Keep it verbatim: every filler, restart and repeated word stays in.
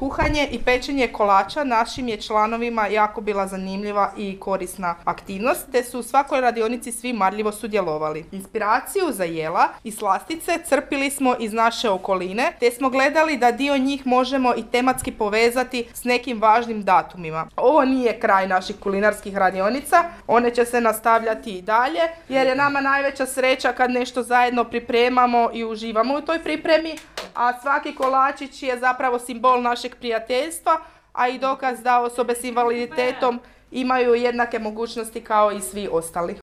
Kuhanje i pečenje kolača našim je članovima jako bila zanimljiva i korisna aktivnost, te su u svakoj radionici svi marljivo sudjelovali. Inspiraciju za jela i slastice crpili smo iz naše okoline, te smo gledali da dio njih možemo i tematski povezati s nekim važnim datumima. Ovo nije kraj naših kulinarskih radionica, one će se nastavljati i dalje, jer je nama najveća sreća kad nešto zajedno pripremamo i uživamo u toj pripremi, a svaki kolačić je zapravo simbol našeg prijateljstva, a i dokaz da osobe s invaliditetom imaju jednake mogućnosti kao i svi ostali.